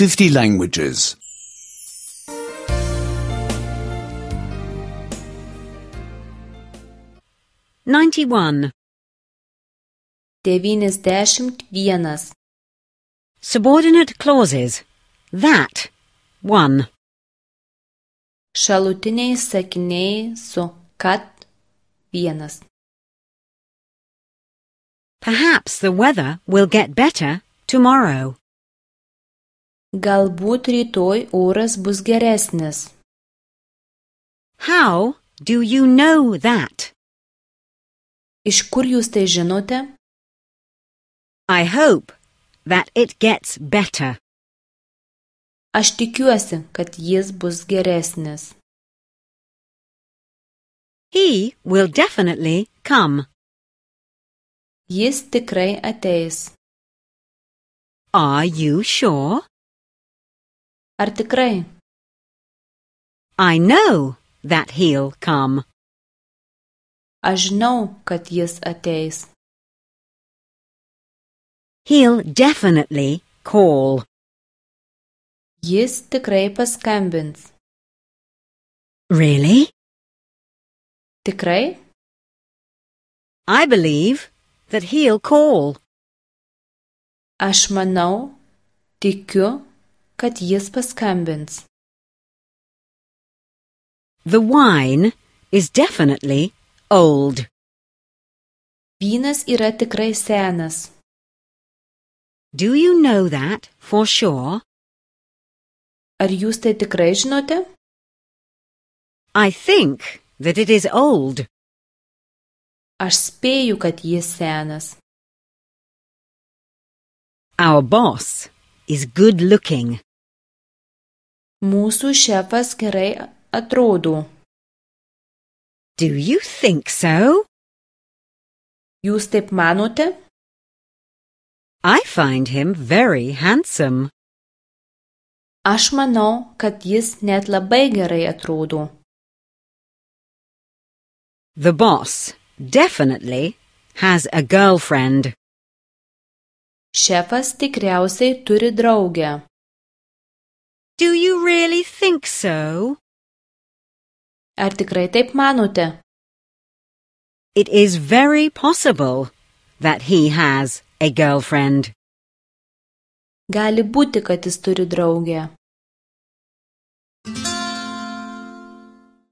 50 languages. 91. 91. Subordinate clauses. That. 1. Šalutiniai sakiniai su kad 1. Perhaps the weather will get better tomorrow. Galbūt rytoj oras bus geresnis. How do you know that? Iš kur jūs tai žinote? I hope that it gets better. Aš tikiuosi, kad jis bus geresnis. He will definitely come. Jis tikrai ateis. Are you sure? Ar tikrai? I know that he'll come. Aš žinau, kad jis ateis. He'll definitely call. Jis tikrai paskambins. Really? Tikrai? I believe that he'll call. Aš manau, tikiu, kad jis paskambins. The wine is definitely old. Vynas yra tikrai senas. Do you know that for sure? Ar jūs tai tikrai žinote? I think that it is old. Aš spėju, kad jis senas. Our boss is good looking. Mūsų šefas gerai atrodo. Do you think so? Jūs taip manote? I find him very handsome. Aš manau, kad jis net labai gerai atrodo. The boss definitely has a girlfriend. Šefas tikriausiai turi draugę. Do you really think so? Ar tikrai taip manote? It is very possible that he has a girlfriend. Gali būti, kad jis turi draugę.